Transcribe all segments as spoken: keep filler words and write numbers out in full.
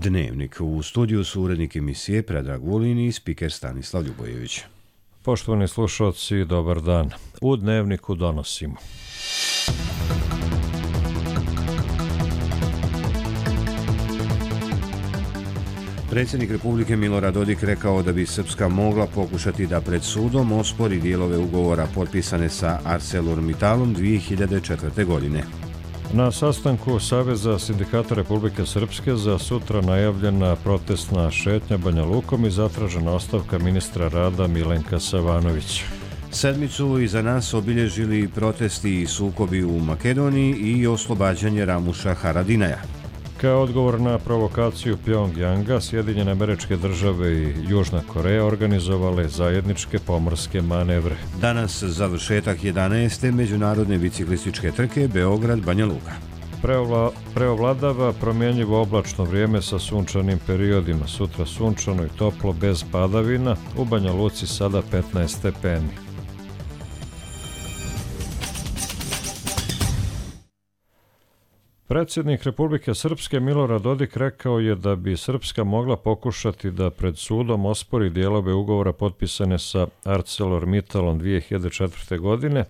Dnevnik. U studiju su urednik emisije Predrag Vulin i spiker Stanislav Ljubojević. Poštovani slušalci, dobar dan. U Dnevniku donosimo. Predsjednik Republike Milorad Dodik rekao da bi Srpska mogla pokušati da pred sudom ospori dijelove ugovora potpisane sa ArcelorMittalom dvije hiljade četvrte. godine. Na sastanku Saveza sindikata Republike Srpske za sutra najavljena protestna šetnja Banja Lukom i zatražena ostavka ministra rada Milenka Savanovića. Sedmicu iza nas obilježili protesti i sukobi u Makedoniji i oslobađanje Ramuša Haradinaja. Kao odgovor na provokaciju Pjongjanga, Sjedinjene Američke Države i Južna Koreja organizovale zajedničke pomorske manevre. Danas završetak jedanaeste međunarodne biciklističke trke Beograd-Banja Luka. Preovla, preovladava promjenjivo oblačno vrijeme sa sunčanim periodima. Sutra sunčano i toplo bez padavina, u Banja Luci sada petnaest stepeni. Predsjednik Republike Srpske Milorad Dodik rekao je da bi Srpska mogla pokušati da pred sudom ospori dijelove ugovora potpisane sa ArcelorMittalom dvije hiljade četvrte. godine,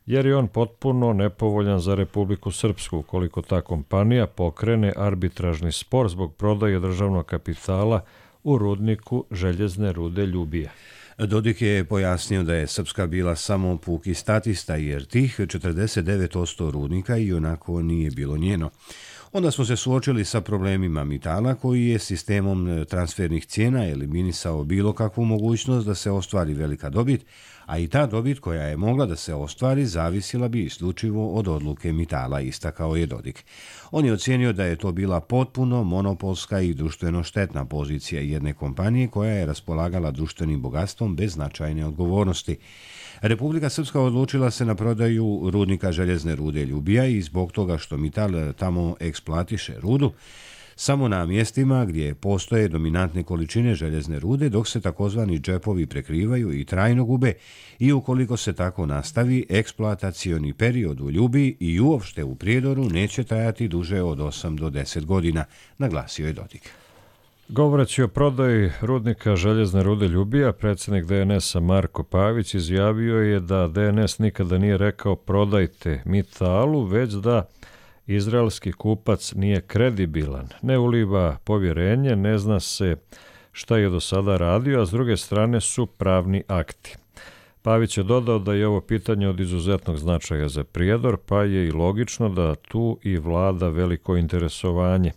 jer je on potpuno nepovoljan za Republiku Srpsku ukoliko ta kompanija pokrene arbitražni spor zbog prodaje državnog kapitala u rudniku željezne rude Ljubija. Dodik je pojasnio da je Srpska bila samo puki statista jer tih četrdeset devet posto rudnika i onako nije bilo njeno. Onda smo se suočili sa problemima Mittala koji je sistemom transfernih cijena eliminisao bilo kakvu mogućnost da se ostvari velika dobit, a i ta dobit koja je mogla da se ostvari zavisila bi isključivo od odluke Mittala, istakao je Dodik. On je ocijenio da je to bila potpuno monopolska i društveno štetna pozicija jedne kompanije koja je raspolagala društvenim bogatstvom bez značajne odgovornosti. Republika Srpska odlučila se na prodaju rudnika željezne rude Ljubija i zbog toga što Mittal tamo eksploatiše rudu, samo na mjestima gdje postoje dominantne količine željezne rude, dok se takozvani džepovi prekrivaju i trajno gube i ukoliko se tako nastavi, eksploatacioni period u Ljubiji i uopšte u Prijedoru neće trajati duže od osam do deset godina, naglasio je Dodik. Govoreći o prodaji rudnika željezne rude Ljubija, predsjednik D N S-a Marko Pavić izjavio je da D N S nikada nije rekao prodajte Mittalu, već da izraelski kupac nije kredibilan, ne uliva povjerenje, ne zna se šta je do sada radio, a s druge strane su pravni akti. Pavić je dodao da je ovo pitanje od izuzetnog značaja za Prijedor, pa je i logično da tu i vlada veliko interesovanje.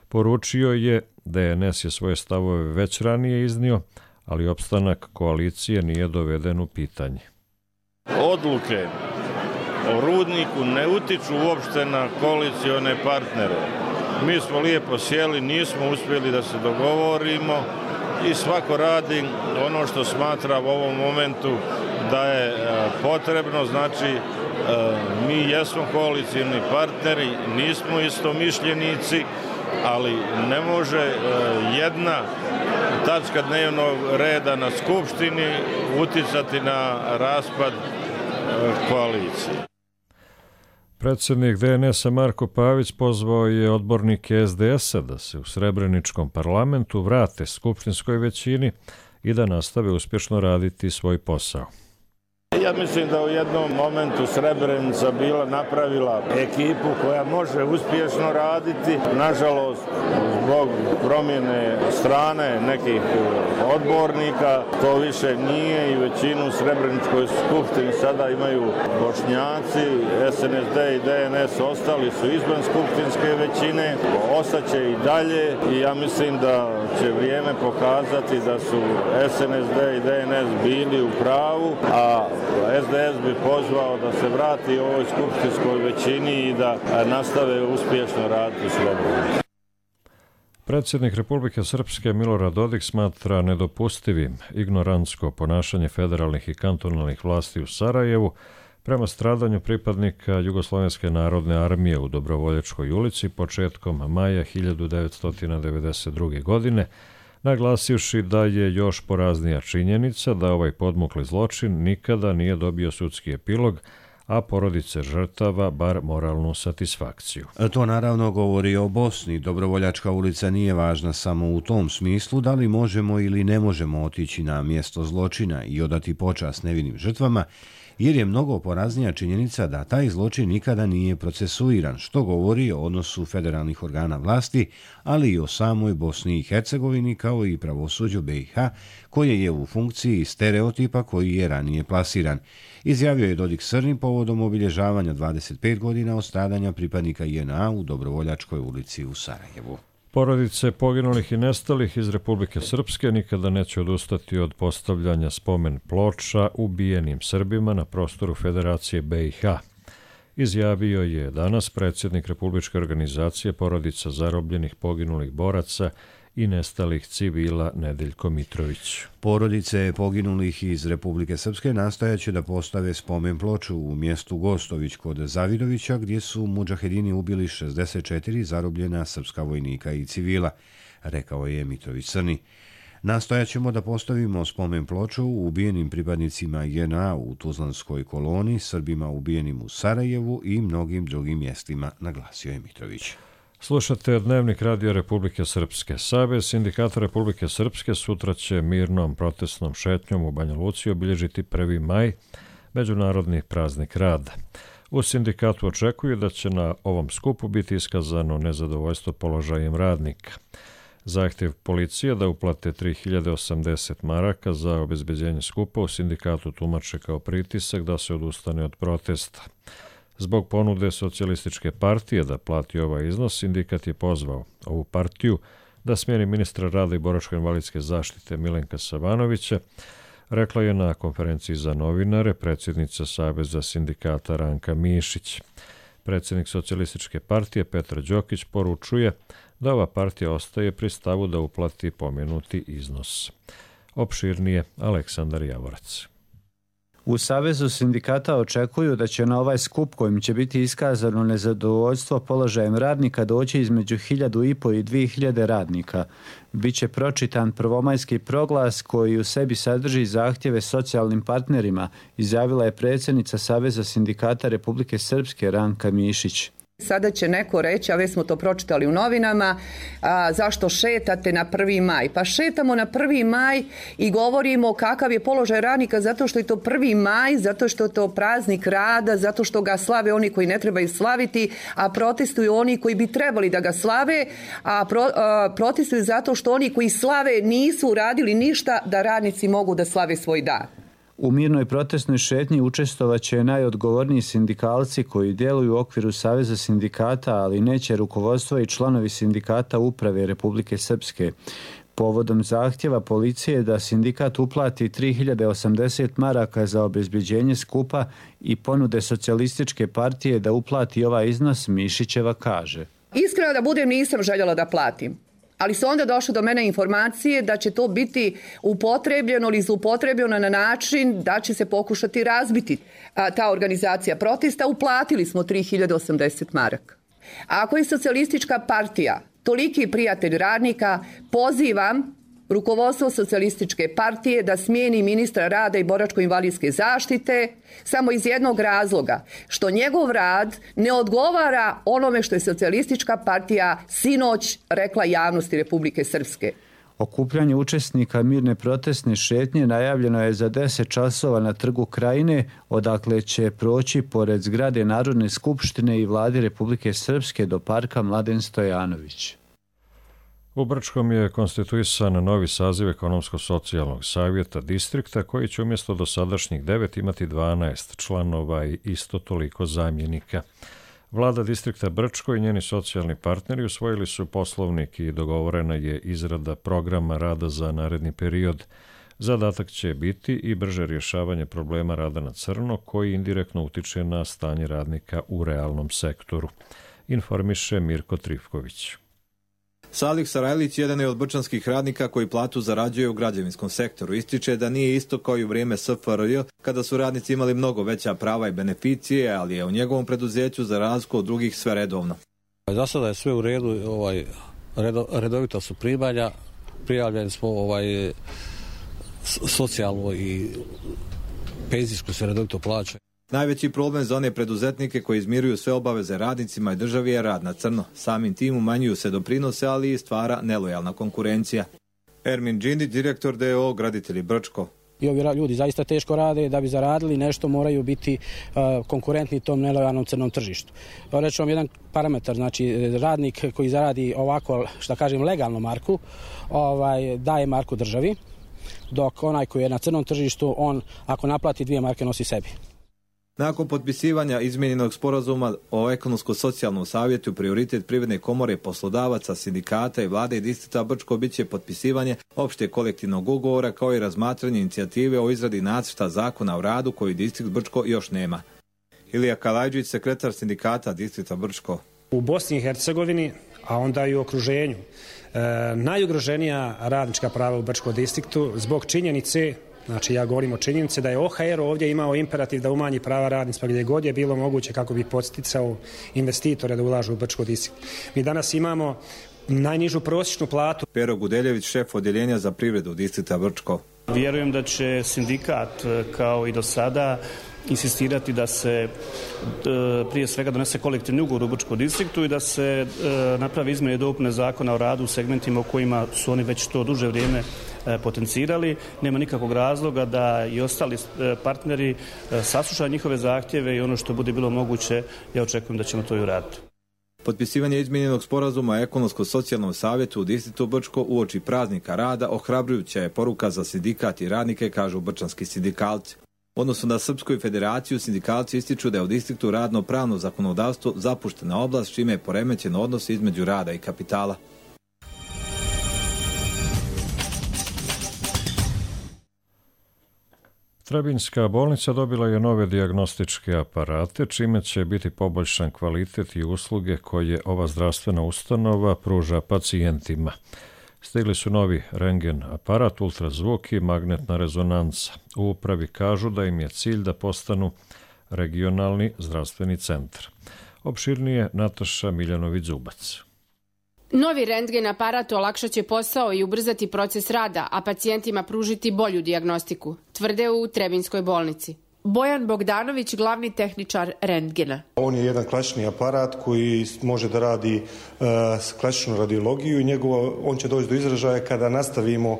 Poručio je, D N S je svoje stavove već ranije iznio, ali opstanak koalicije nije doveden u pitanje. Odluke o rudniku ne utiču uopšte na koalicione partnere. Mi smo lijepo sjeli, nismo uspjeli da se dogovorimo i svako radi ono što smatra u ovom momentu da je potrebno. Znači, mi jesmo koalicioni partneri, nismo istomišljenici, ali ne može jedna tačka dnevnog reda na Skupštini uticati na raspad koalicije. Predsjednik D N S-a Marko Pavić pozvao je odbornike S D S-a da se u Srebreničkom parlamentu vrate skupštinskoj većini i da nastave uspješno raditi svoj posao. Ja mislim da u jednom momentu Srebrenica bila napravila ekipu koja može uspješno raditi. Nažalost, zbog promjene strane nekih odbornika, to više nije i većinu u Srebreničkoj skupštini sada imaju Bošnjaci, S N S D i D N S ostali su izvan skupštinske većine, ostaće i dalje i ja mislim da će vrijeme pokazati da su S N S D i D N S bili u pravu, a S D S bi pozvao da se vrati ovoj skupštinskoj većini i da nastave uspješno raditi slobodno. Predsjednik Republike Srpske Milorad Dodik smatra nedopustivim ignorantsko ponašanje federalnih i kantonalnih vlasti u Sarajevu prema stradanju pripadnika Jugoslovenske narodne armije u Dobrovoljačkoj ulici početkom maja hiljadu devetsto devedeset druge. godine, naglasivši da je još poraznija činjenica da ovaj podmukli zločin nikada nije dobio sudski epilog, a porodice žrtava bar moralnu satisfakciju. To naravno govori o Bosni. Dobrovoljačka ulica nije važna samo u tom smislu da li možemo ili ne možemo otići na mjesto zločina i odati počast nevinim žrtvama, jer je mnogo poraznija činjenica da taj zločin nikada nije procesuiran, što govori o odnosu federalnih organa vlasti, ali i o samoj Bosni i Hercegovini kao i pravosuđu B i H, koje je u funkciji stereotipa koji je ranije plasiran. Izjavio je Dodik Srni povodom obilježavanja dvadeset pet godina od stradanja pripadnika J N A u Dobrovoljačkoj ulici u Sarajevu. Porodice poginulih i nestalih iz Republike Srpske nikada neće odustati od postavljanja spomen ploča ubijenim Srbima na prostoru Federacije B i H. Izjavio je danas predsjednik Republičke organizacije porodica zarobljenih poginulih boraca i nestalih civila Nedeljko Mitrović. Porodice poginulih iz Republike Srpske nastojaće da postave spomen ploču u mjestu Gostović kod Zavidovića, gdje su mudžahedini ubili šezdeset četiri zarobljena srpska vojnika i civila, rekao je Mitrović Crni. Nastojaćemo da postavimo spomen ploču ubijenim pripadnicima J N A u Tuzlanskoj koloni, Srbima ubijenim u Sarajevu i mnogim drugim mjestima, naglasio je Mitrović. Slušate Dnevnik Radio Republike Srpske. Savez sindikata Republike Srpske sutra će mirnom protestnom šetnjom u Banja Luci obilježiti prvi maj, međunarodni praznik rada. U sindikatu očekuju da će na ovom skupu biti iskazano nezadovoljstvo položajem radnika. Zahtjev policije da uplate tri hiljade osamdeset maraka za obezbeđenje skupa u sindikatu tumače kao pritisak da se odustane od protesta. Zbog ponude socijalističke partije da plati ovaj iznos, sindikat je pozvao ovu partiju da smjeni ministra rada i boračko-invalidske zaštite Milenka Savanovića, rekla je na konferenciji za novinare predsjednica Saveza sindikata Ranka Mišić. Predsjednik socijalističke partije Petar Đokić poručuje da ova partija ostaje pri stavu da uplati pomenuti iznos. Opširnije Aleksandar Javorac. U Savezu sindikata očekuju da će na ovaj skup kojim će biti iskazano nezadovoljstvo položajem radnika doći između hiljadu i po i dvije hiljade radnika. Biće pročitan prvomajski proglas koji u sebi sadrži zahtjeve socijalnim partnerima, izjavila je predsjednica Saveza sindikata Republike Srpske Ranka Mišić. Sada će neko reći, a već smo to pročitali u novinama, a, zašto šetate na prvi maj? Pa šetamo na prvi maj i govorimo kakav je položaj radnika zato što je to prvi maj, zato što je to praznik rada, zato što ga slave oni koji ne trebaju slaviti, a protestuju oni koji bi trebali da ga slave, a, pro, a protestuju zato što oni koji slave nisu uradili ništa da radnici mogu da slave svoj dan. U mirnoj protestnoj šetnji učestvovaće najodgovorniji sindikalci koji djeluju u okviru Saveza sindikata, ali neće rukovodstvo i članovi sindikata uprave Republike Srpske. Povodom zahtjeva policije da sindikat uplati tri hiljade osamdeset maraka za obezbeđenje skupa i ponude socijalističke partije da uplati ovaj iznos, Mišićeva kaže. Iskreno da budem, nisam željela da platim. Ali su onda došle do mene informacije da će to biti upotrebljeno ili zloupotrebljeno na način da će se pokušati razbiti a, ta organizacija protesta. Uplatili smo tri hiljade osamdeset maraka. A ako je socijalistička partija toliki prijatelj radnika, pozivam rukovodstvo socijalističke partije da smijeni ministra rada i boračko-invalidske zaštite samo iz jednog razloga, što njegov rad ne odgovara onome što je socijalistička partija sinoć rekla javnosti Republike Srpske. Okupljanje učesnika mirne protestne šetnje najavljeno je za deset časova na Trgu Krajine, odakle će proći pored zgrade Narodne skupštine i vlade Republike Srpske do parka Mladen Stojanović. U Brčkom je konstituisan novi saziv ekonomsko-socijalnog savjeta distrikta koji će umjesto dosadašnjih devet imati dvanaest članova i isto toliko zamjenika. Vlada distrikta Brčko i njeni socijalni partneri usvojili su poslovnik i dogovorena je izrada programa rada za naredni period. Zadatak će biti i brže rješavanje problema rada na crno koji indirektno utiče na stanje radnika u realnom sektoru. Informiše Mirko Trifković. Salih Sarajlić jedan je od brčanskih radnika koji platu zarađuje u građevinskom sektoru. Ističe da nije isto kao i u vrijeme S F R J kada su radnici imali mnogo veća prava i beneficije, ali je u njegovom preduzeću za razliku od drugih sve redovno. Za sada je sve u redu, ovaj, redo, redovita su primanja, prijavljeni smo ovaj, socijalno i penzijsko se redovito plaća. Najveći problem za one preduzetnike koji izmiruju sve obaveze radnicima i državi je rad na crno. Samim tim umanjuju se doprinose, ali i stvara nelojalna konkurencija. Ermin Đindić, direktor D O O Graditelji Brčko. I ovi ljudi zaista teško rade, da bi zaradili nešto moraju biti uh, konkurentni tom nelojalnom crnom tržištu. Reći vam jedan parametar, znači radnik koji zaradi ovako, šta kažem, legalnu marku, ovaj, daje marku državi, dok onaj koji je na crnom tržištu, on ako naplati dvije marke nosi sebi. Nakon potpisivanja izmijenjenog sporazuma o ekonomsko-socijalnom savjetu, prioritet Privredne komore, poslodavaca, sindikata i vlade i distrikta Brčko bit će potpisivanje opšte kolektivnog ugovora kao i razmatranje inicijative o izradi nacrta zakona o radu koji distrikt Brčko još nema. Ilija Kalajđić, sekretar sindikata distrikta Brčko. U Bosni i Hercegovini, a onda i u okruženju, e, najugroženija radnička prava u Brčkom distriktu zbog činjenice, znači ja govorim o činjenici da je O H R ovdje imao imperativ da umanji prava radnicima gdje god je bilo moguće kako bi podsticao investitore da ulažu u Brčko distrikt. Mi danas imamo najnižu prosječnu platu. Pero Gudeljević, šef odjeljenja za privredu distrikta Brčko. Vjerujem da će sindikat kao i do sada insistirati da se prije svega donese kolektivni ugovor u Brčkom distriktu i da se napravi izmjene i dopune zakona o radu u segmentima u kojima su oni već to duže vrijeme potencirali. Nema nikakvog razloga da i ostali partneri saslušaju njihove zahtjeve i ono što bude bilo moguće, ja očekujem da ćemo to i uraditi. Potpisivanje izmijenjenog sporazuma o ekonomsko-socijalnom savjetu u distriktu Brčko uoči praznika rada ohrabrujuća je poruka za sindikat i radnike, kažu brčanski sindikalci. U odnosu na Srpsku federaciju, sindikalci ističu da je u distriktu radno-pravno zakonodavstvo zapuštena oblast, čime je poremećen odnos između rada i kapitala. Trebinjska bolnica dobila je nove dijagnostičke aparate, čime će biti poboljšan kvalitet i usluge koje ova zdravstvena ustanova pruža pacijentima. Stigli su novi rentgen aparat, ultrazvuk i magnetna rezonanca. U upravi kažu da im je cilj da postanu regionalni zdravstveni centar. Opširnije Nataša Miljanović-Zubac. Novi rentgen aparat olakšat će posao i ubrzati proces rada, a pacijentima pružiti bolju dijagnostiku, tvrde u Trebinjskoj bolnici. Bojan Bogdanović, glavni tehničar rentgena. On je jedan klasični aparat koji može da radi uh, klasičnu radiologiju i njegova, on će doći do izražaja kada nastavimo uh,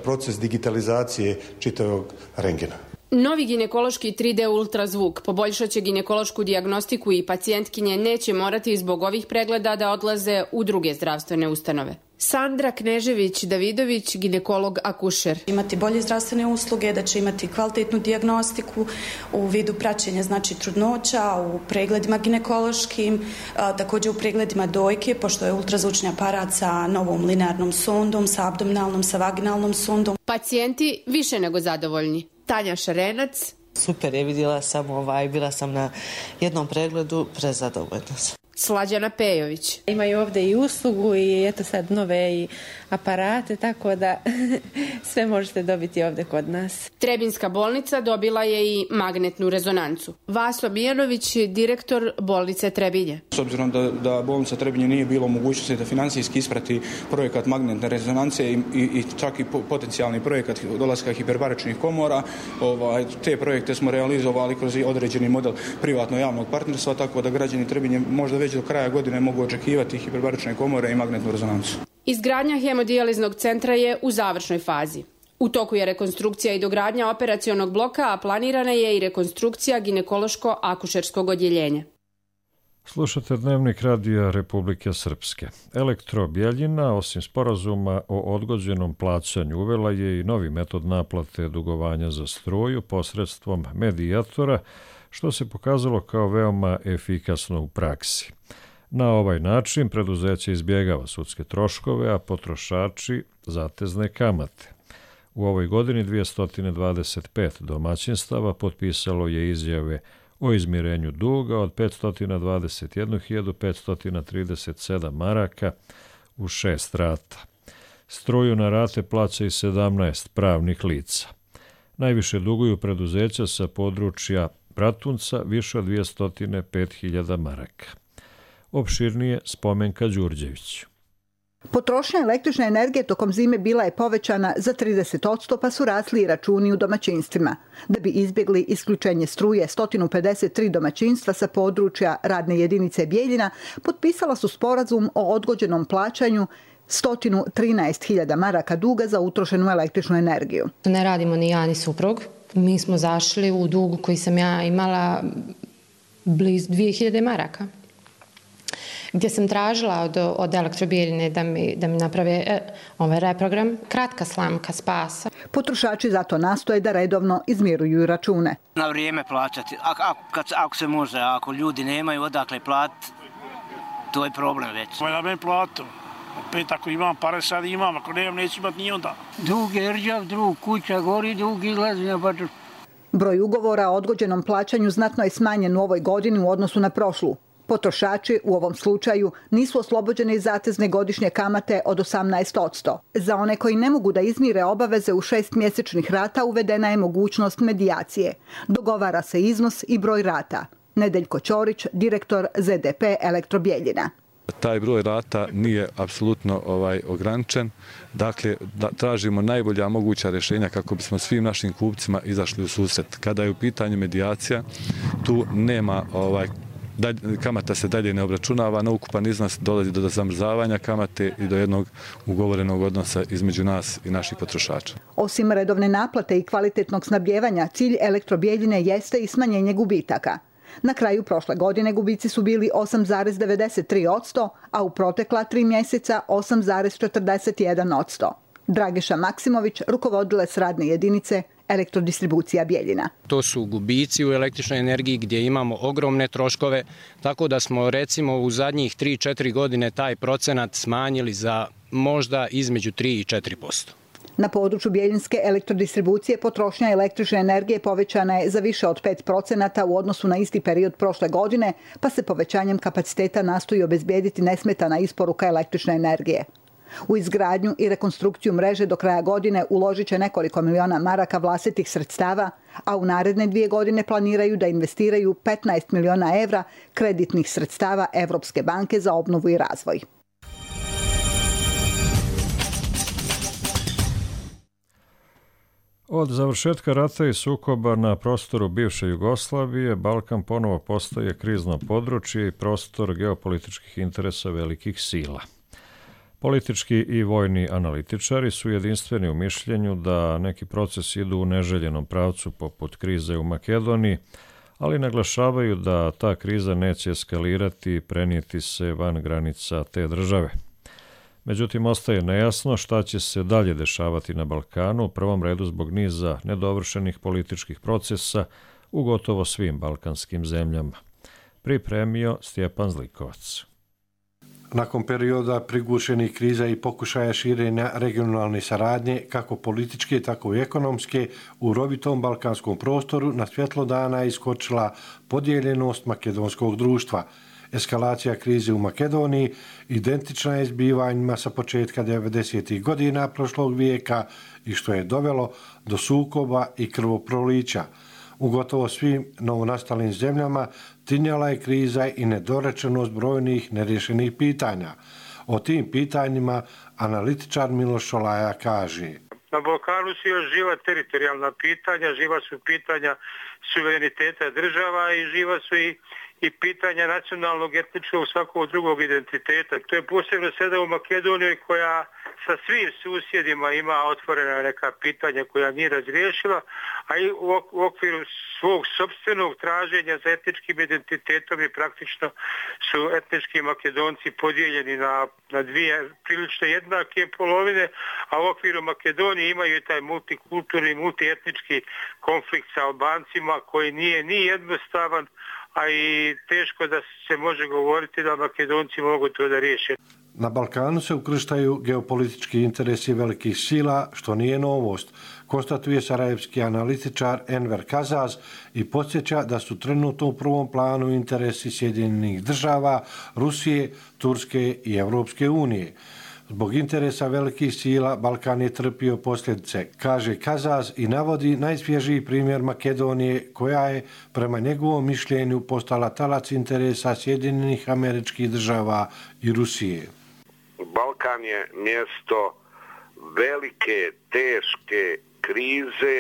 proces digitalizacije čitavog rentgena. Novi ginekološki tri D ultrazvuk poboljšat će ginekološku dijagnostiku i pacijentkinje neće morati zbog ovih pregleda da odlaze u druge zdravstvene ustanove. Sandra Knežević-Davidović, ginekolog akušer. Imati bolje zdravstvene usluge, da će imati kvalitetnu dijagnostiku u vidu praćenja, znači trudnoća, u pregledima ginekološkim, također u pregledima dojke, pošto je ultrazvučni aparat sa novom linearnom sondom, sa abdominalnom, sa vaginalnom sondom. Pacijenti više nego zadovoljni. Tanja Šarenac. Super je, vidjela sam ovaj, bila sam na jednom pregledu, prezadovoljna sam. Slađana Pejović. Imaju ovdje i uslugu i eto sad nove i aparate, tako da sve možete dobiti ovdje kod nas. Trebinjska bolnica dobila je i magnetnu rezonancu. Vaso Mijanović, direktor bolnice Trebinje. S obzirom da, da bolnica Trebinje nije bilo mogućnosti da financijski isprati projekat magnetne rezonance i, i, i čak i potencijalni projekat dolaska hiperbaričnih komora, ovaj, te projekte smo realizovali kroz određeni model privatno-javnog partnerstva, tako da građani Trebinje možda već do kraja godine mogu očekivati hiperbarične komore i magnetnu rezonancu. Izgradnja hemodijaliznog centra je u završnoj fazi. U toku je rekonstrukcija i dogradnja operacionog bloka, a planirana je i rekonstrukcija ginekološko-akušerskog odjeljenja. Slušate Dnevnik radija Republike Srpske. Elektro Bjeljina, osim sporazuma o odgođenom plaćanju, uvela je i novi metod naplate dugovanja za struju posredstvom medijatora, što se pokazalo kao veoma efikasno u praksi. Na ovaj način preduzeće izbjegava sudske troškove, a potrošači zatezne kamate. U ovoj godini dvjesto dvadeset pet domaćinstava potpisalo je izjave o izmirenju duga od petsto dvadeset jednu hiljadu petsto trideset sedam maraka u šest rata. Struju na rate plaća i sedamnaest pravnih lica. Najviše duguju preduzeća sa područja Bratunca, više od dvjesto pet hiljada maraka. Opširnije Spomenka Đurđević. Potrošnja električne energije tokom zime bila je povećana za trideset posto pa su rasli i računi u domaćinstvima. Da bi izbjegli isključenje struje, sto pedeset tri domaćinstva sa područja radne jedinice Bijeljina potpisala su sporazum o odgođenom plaćanju sto trinaest hiljada maraka duga za utrošenu električnu energiju. Ne radimo ni ja ni suprug. Mi smo zašli u dugu koji sam ja imala blizu dvije hiljade maraka, gdje sam tražila od, od Elektrobijeljine da mi, da mi naprave e, ovaj reprogram. Kratka slamka spasa. Potrošači zato nastoje da redovno izmiruju račune. Na vrijeme plaćati. Ako, ako, kad, ako se može, ako ljudi nemaju odakle platiti, to je problem već. Na meni platu. Opet ako imam pare, sad imam. Ako nemam, neću imati ni onda. Dug je rđav, drug kuća gori, dug izlazi na baču. Broj ugovora o odgođenom plaćanju znatno je smanjen u ovoj godini u odnosu na prošlu. Potrošači u ovom slučaju nisu oslobođeni zatezne godišnje kamate od osamnaest posto. Za one koji ne mogu da izmire obaveze u šest mjesečnih rata uvedena je mogućnost medijacije. Dogovara se iznos i broj rata. Nedeljko Ćorić, direktor Z D P Elektrobijeljina. Taj broj rata nije apsolutno ovaj ograničen. Dakle, da, tražimo najbolja moguća rješenja kako bismo svim našim kupcima izašli u susret. Kada je u pitanju medijacija, tu nema ovaj Dalj, kamata se dalje ne obračunava, na ukupan iznos dolazi do zamrzavanja kamate i do jednog ugovorenog odnosa između nas i naših potrošača. Osim redovne naplate i kvalitetnog snabdjevanja, cilj Elektrobijeljine jeste i smanjenje gubitaka. Na kraju prošle godine gubici su bili osam zarez devedeset tri posto, a u protekla tri mjeseca osam zarez četrdeset jedan posto. Drageša Maksimović, rukovodilac radne jedinice Elektrodistribucija Bijeljina. To su gubici u električnoj energiji gdje imamo ogromne troškove, tako da smo recimo u zadnjih tri četiri godine taj procenat smanjili za možda između tri i četiri posto. Na području Bijeljinske elektrodistribucije potrošnja električne energije povećana je za više od pet procenata u odnosu na isti period prošle godine, pa se povećanjem kapaciteta nastoji obezbijediti nesmetana isporuka električne energije. U izgradnju i rekonstrukciju mreže do kraja godine uložit će nekoliko miliona maraka vlastitih sredstava, a u naredne dvije godine planiraju da investiraju petnaest miliona evra kreditnih sredstava Evropske banke za obnovu i razvoj. Od završetka rata i sukoba na prostoru bivše Jugoslavije, Balkan ponovo postaje krizno područje i prostor geopolitičkih interesa velikih sila. Politički i vojni analitičari su jedinstveni u mišljenju da neki procesi idu u neželjenom pravcu poput krize u Makedoniji, ali naglašavaju da ta kriza neće eskalirati i prenijeti se van granica te države. Međutim, ostaje nejasno šta će se dalje dešavati na Balkanu, u prvom redu zbog niza nedovršenih političkih procesa u gotovo svim balkanskim zemljama. Pripremio Stjepan Zlikovac. Nakon perioda prigušenih kriza i pokušaja širenja regionalne saradnje, kako političke, tako i ekonomske, u rovitom balkanskom prostoru na svjetlo dana je iskočila podijeljenost makedonskog društva. Eskalacija krize u Makedoniji identična je zbivanjima sa početka devedesetih godina prošlog vijeka i što je dovelo do sukoba i krvoprolića. U gotovo svim novonastalim zemljama tinjala je kriza i nedorečenost brojnih nerješenih pitanja. O tim pitanjima analitičar Miloš Šolaja kaže: Na Balkanu su još živa teritorijalna pitanja, živa su pitanja suvereniteta država i živa su i, i pitanja nacionalnog, etničkog, svakog drugog identiteta. To je posebno sada u Makedoniji koja sa svim susjedima ima otvorena neka pitanja koja nije razriješila, a i u okviru svog sopstvenog traženja za etničkim identitetom i praktično su etnički Makedonci podijeljeni na, na dvije prilično jednake polovine, a u okviru Makedonije imaju i taj multikulturni, multietnički konflikt sa Albancima koji nije ni jednostavan, a i teško da se može govoriti da Makedonci mogu to da riješe. Na Balkanu se ukrštaju geopolitički interesi velikih sila, što nije novost, konstatuje sarajevski analitičar Enver Kazaz i podsjeća da su trenutno u prvom planu interesi Sjedinjenih država, Rusije, Turske i Evropske unije. Zbog interesa velikih sila Balkan je trpio posljedice, kaže Kazaz i navodi najsvježiji primjer Makedonije koja je prema njegovom mišljenju postala talac interesa Sjedinjenih Američkih Država i Rusije. Balkan je mjesto velike, teške krize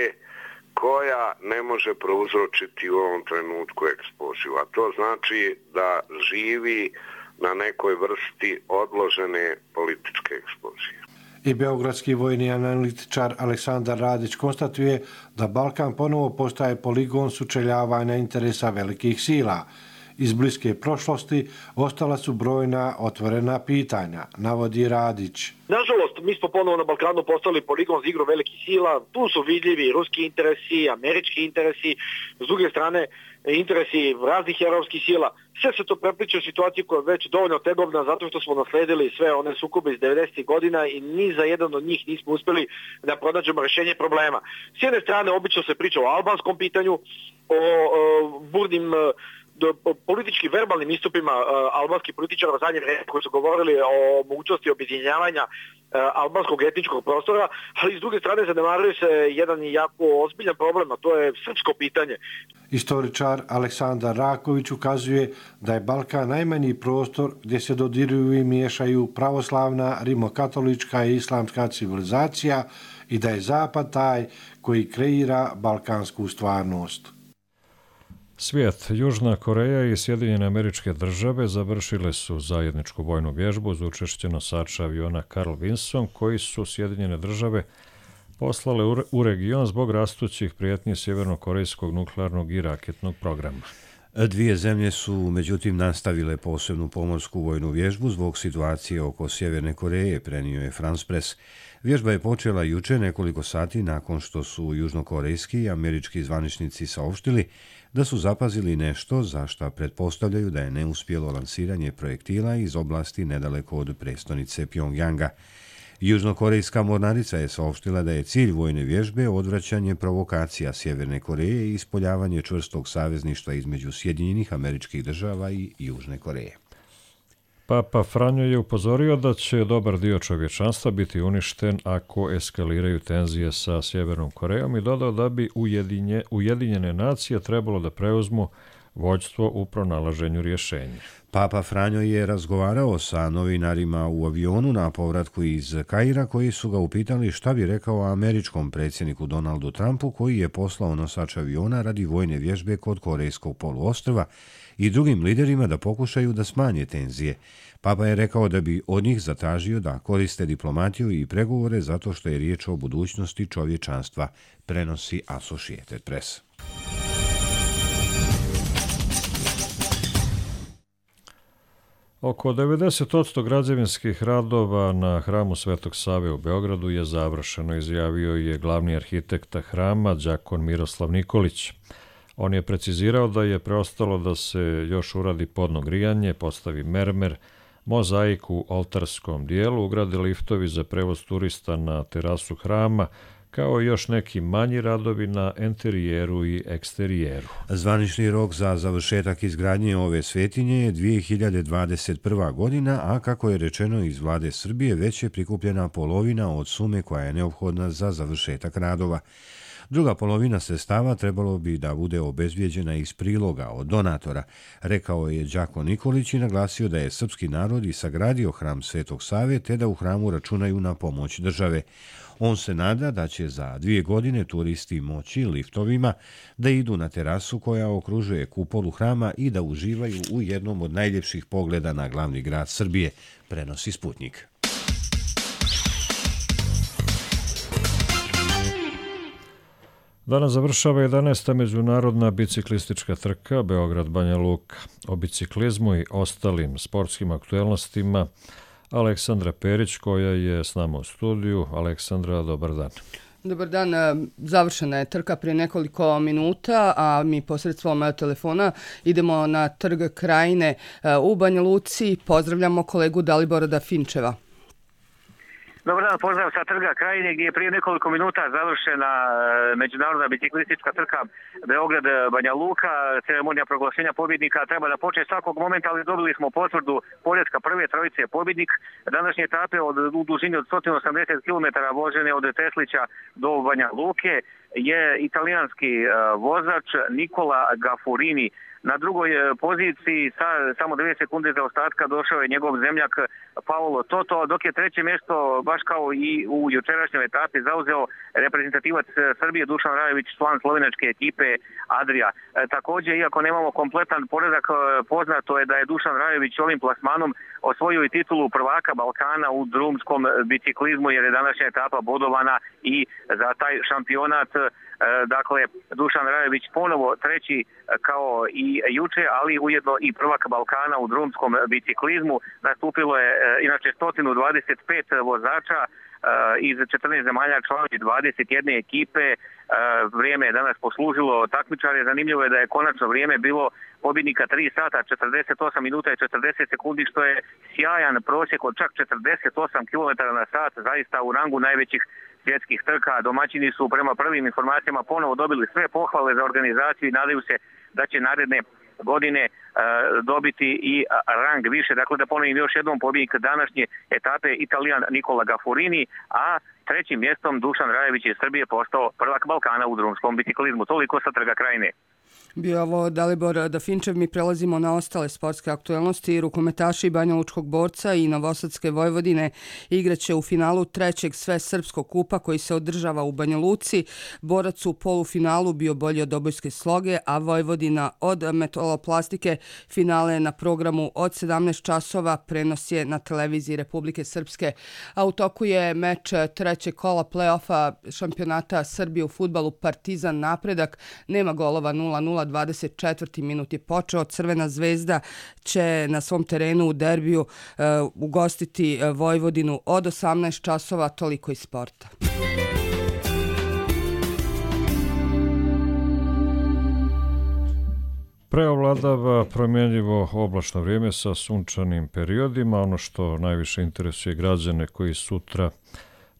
koja ne može prouzročiti u ovom trenutku eksploziju. A to znači da živi na nekoj vrsti odložene političke eksplozije. I beogradski vojni analitičar Aleksandar Radić konstatuje da Balkan ponovo postaje poligon sučeljavanja interesa velikih sila. Iz bliske prošlosti ostala su brojna otvorena pitanja, navodi Radić. Nažalost, mi smo ponovo na Balkanu postali poligon za igru velikih sila. Tu su vidljivi ruski interesi, američki interesi, s druge strane interesi raznih evropskih sila. Sve se to prepliče u situaciji koja je već dovoljno tegobna zato što smo nasledili sve one sukobe iz devedesetih godina i ni za jedan od njih nismo uspjeli da pronađemo rješenje problema. S jedne strane obično se priča o albanskom pitanju, o, o burnim do politički verbalnim istupima uh, albanskih političara u zadnje vreme koji su govorili o mogućnosti objedinjavanja uh, albanskog etničkog prostora, ali s druge strane zanemaruje se jedan jako ozbiljan problem, a to je srpsko pitanje. Istoričar Aleksandar Raković ukazuje da je Balkan najmanji prostor gdje se dodiruju i miješaju pravoslavna, rimokatolička i islamska civilizacija i da je Zapad taj koji kreira balkansku stvarnost. Svijet, Južna Koreja i Sjedinjene Američke Države završile su zajedničku vojnu vježbu uz učešće nosača aviona Carl Vinson koji su Sjedinjene Države poslale u region zbog rastućih prijetnji sjevernokorejskog nuklearnog i raketnog programa. Dvije zemlje su međutim nastavile posebnu pomorsku vojnu vježbu zbog situacije oko Sjeverne Koreje, prenio je France Press. Vježba je počela juče nekoliko sati nakon što su južnokorejski i američki zvaničnici saopštili da su zapazili nešto za šta pretpostavljaju da je neuspjelo lansiranje projektila iz oblasti nedaleko od prestonice Pjongjanga. Južnokorejska mornarica je saopštila da je cilj vojne vježbe odvraćanje provokacija Sjeverne Koreje i ispoljavanje čvrstog savezništva između Sjedinjenih Američkih Država i Južne Koreje. Papa Franjo je upozorio da će dobar dio čovječanstva biti uništen ako eskaliraju tenzije sa Sjevernom Korejom i dodao da bi ujedinje, Ujedinjene nacije trebalo da preuzmu vođstvo u pronalaženju rješenja. Papa Franjo je razgovarao sa novinarima u avionu na povratku iz Kaira koji su ga upitali šta bi rekao američkom predsjedniku Donaldu Trumpu koji je poslao nosač aviona radi vojne vježbe kod Korejskog poluostrva i drugim liderima da pokušaju da smanje tenzije. Papa je rekao da bi od njih zatražio da koriste diplomatiju i pregovore zato što je riječ o budućnosti čovječanstva, prenosi Associated Press. Oko devedeset posto građevinskih radova na hramu Svetog Save u Beogradu je završeno, izjavio je glavni arhitekta hrama đakon Miroslav Nikolić. On je precizirao da je preostalo da se još uradi podno grijanje, postavi mermer, mozaik u oltarskom dijelu, ugrade liftovi za prevoz turista na terasu hrama, kao i još neki manji radovi na enterijeru i eksterijeru. Zvanični rok za završetak izgradnje ove svetinje je dvije hiljade dvadeset prva. godina, a kako je rečeno iz vlade Srbije, već je prikupljena polovina od sume koja je neophodna za završetak radova. Druga polovina sredstava trebalo bi da bude obezbijeđena iz priloga od donatora, rekao je đakon Nikolić i naglasio da je srpski narod i sagradio hram Svetog Save te da u hramu računaju na pomoć države. On se nada da će za dvije godine turisti moći liftovima da idu na terasu koja okružuje kupolu hrama i da uživaju u jednom od najljepših pogleda na glavni grad Srbije, prenosi Sputnik. Danas završava jedanaesta međunarodna biciklistička trka Beograd-Banja Luka. O biciklizmu i ostalim sportskim aktuelnostima Aleksandra Perić, koja je s nama u studiju. Aleksandra, dobar dan. Dobar dan, završena je trka prije nekoliko minuta, a mi posredstvom telefona idemo na trg Krajine u Banja Luci. Pozdravljamo kolegu Dalibora Finčeva. Dobar dan, pozdrav sa trga Krajine gdje je prije nekoliko minuta završena međunarodna biciklistička trka Beograd-Banja Luka. Ceremonija proglašenja pobjednika treba da počne svakog momenta, ali dobili smo potvrdu poretka prve trojice pobjednik. Današnje etape od, u dužini od sto osamdeset kilometara vožene od Teslića do Banja Luke je italijanski vozač Nikola Gafurini Na drugoj poziciji sa samo dvije sekunde za ostatka došao je njegov zemljak Paolo Toto, dok je treće mjesto, baš kao i u jučerašnjoj etapi, zauzeo reprezentativac Srbije Dušan Rajović, član slovenačke ekipe Adria. E, također, iako nemamo kompletan poredak, poznato je da je Dušan Rajović ovim plasmanom osvojio i titulu prvaka Balkana u drumskom biciklizmu, jer je današnja etapa bodovana i za taj šampionat. Dakle, Dušan Rajović ponovo treći kao i juče, ali ujedno i prvak Balkana u drumskom biciklizmu. Nastupilo je inače sto dvadeset pet vozača iz četrnaest zemalja, članovi dvadeset jedne ekipe. Vrijeme je danas poslužilo takmičare. Zanimljivo je da je konačno vrijeme bilo pobjednika tri sata, četrdeset osam minuta i četrdeset sekundi, što je sjajan prosjek od čak četrdeset osam kilometara na sat, zaista u rangu najvećih svjetskih trka. Domaćini su prema prvim informacijama ponovo dobili sve pohvale za organizaciju i nadaju se da će naredne godine e, dobiti i rang više. Dakle, da ponovim još jednom, pobjednik današnje etape Italijan Nikola Gafurini, a trećim mjestom Dušan Rajević iz Srbije postao prvak Balkana u drumskom biciklizmu. Toliko sa Trga Krajine. Bio ovo Dalibor Dafinčev. Mi prelazimo na ostale sportske aktuelnosti. Rukometaši Banja Lučkog Borca i Novosadske Vojvodine igraće u finalu trećeg Svesrpskog kupa koji se održava u Banja Luci. Borac u polufinalu bio bolji od obojske sloge, a Vojvodina od metaloplastike. Finale je na programu od sedamnaest časova, prenos je na televiziji Republike Srpske. A u toku je meč trećeg kola play-offa šampionata Srbije u fudbalu Partizan Napredak. Nema golova, nula nula. dvadeset četvrti minut je počeo. Crvena zvezda će na svom terenu u derbiju uh, ugostiti Vojvodinu od osamnaest časova. Toliko iz sporta. Preovladava promjenjivo oblačno vrijeme sa sunčanim periodima. Ono što najviše interesuje građane koji sutra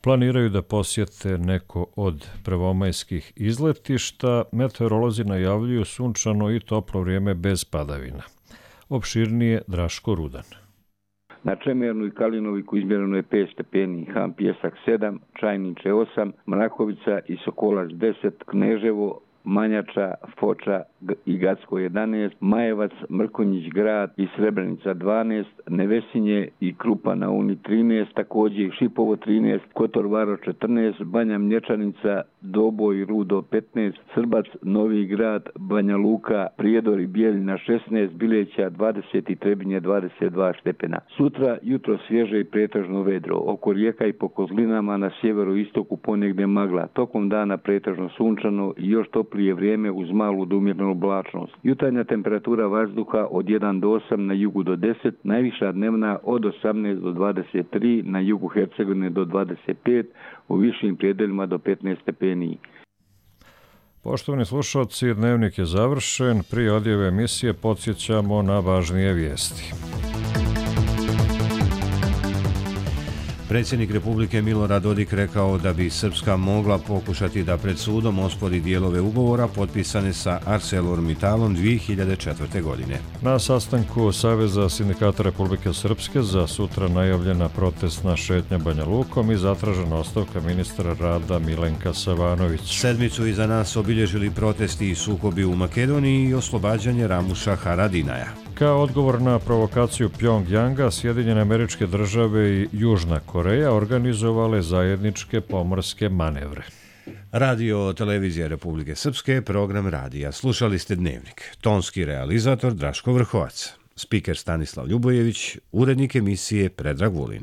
planiraju da posjete neko od prvomajskih izletišta, meteorolozi najavljuju sunčano i toplo vrijeme bez padavina. Opširnije Draško Rudan. Na Čemernu i Kalinoviku izmjereno je pet stepeni, Ham Pjesak sedam, Čajniče osam, Mrakovica i Sokolac deset, Kneževo, Manjača, Foča i Gacko jedanaest, Majevac, Mrkonjić grad i Srebrenica dvanaest, Nevesinje i Krupa na Uni trinaest, također Šipovo trinaest, Kotor Varo četrnaest, Banja Mlječanica, Doboj i Rudo petnaest, Srbac, Novi grad, Banja Luka, Prijedor i Bijeljina šesnaest, Bileća dvadeset i Trebinje dvadeset dva stepena. Sutra jutro svježe i pretežno vedro, oko rijeka i po kozlinama na sjeveru istoku ponegdje magla, tokom dana pretežno sunčano i još toplije vrijeme uz malu do umjernu oblačnost. Jutarnja temperatura vazduha od jedan do osam, na jugu do deset, najviša dnevna od osamnaest do dvadeset tri, na jugu Hercegovine do dvadeset pet, u višim predelima do petnaest stepeni. Poštovani slušalci, dnevnik je završen. Prije odjave emisije podsjećamo na važnije vijesti. Predsjednik Republike Milorad Dodik rekao da bi Srpska mogla pokušati da pred sudom ospori dijelove ugovora potpisane sa ArcelorMittalom dvije hiljade četvrte. godine. Na sastanku Saveza sindikata Republike Srpske za sutra najavljena protestna šetnja Banja Lukom i zatražena ostavka ministra rada Milenka Savanović. Sedmicu iza nas obilježili protesti i sukobi u Makedoniji i oslobađanje Ramuša Haradinaja. Kao odgovor na provokaciju Pjongjanga, Sjedinjene Američke Države i Južna Koreja organizovale zajedničke pomorske manevre. Radio Televizija Republike Srpske, program radija. Slušali ste Dnevnik. Tonski realizator Draško Vrhovac. Spiker Stanislav Ljubojević, urednik emisije Predrag Vulin.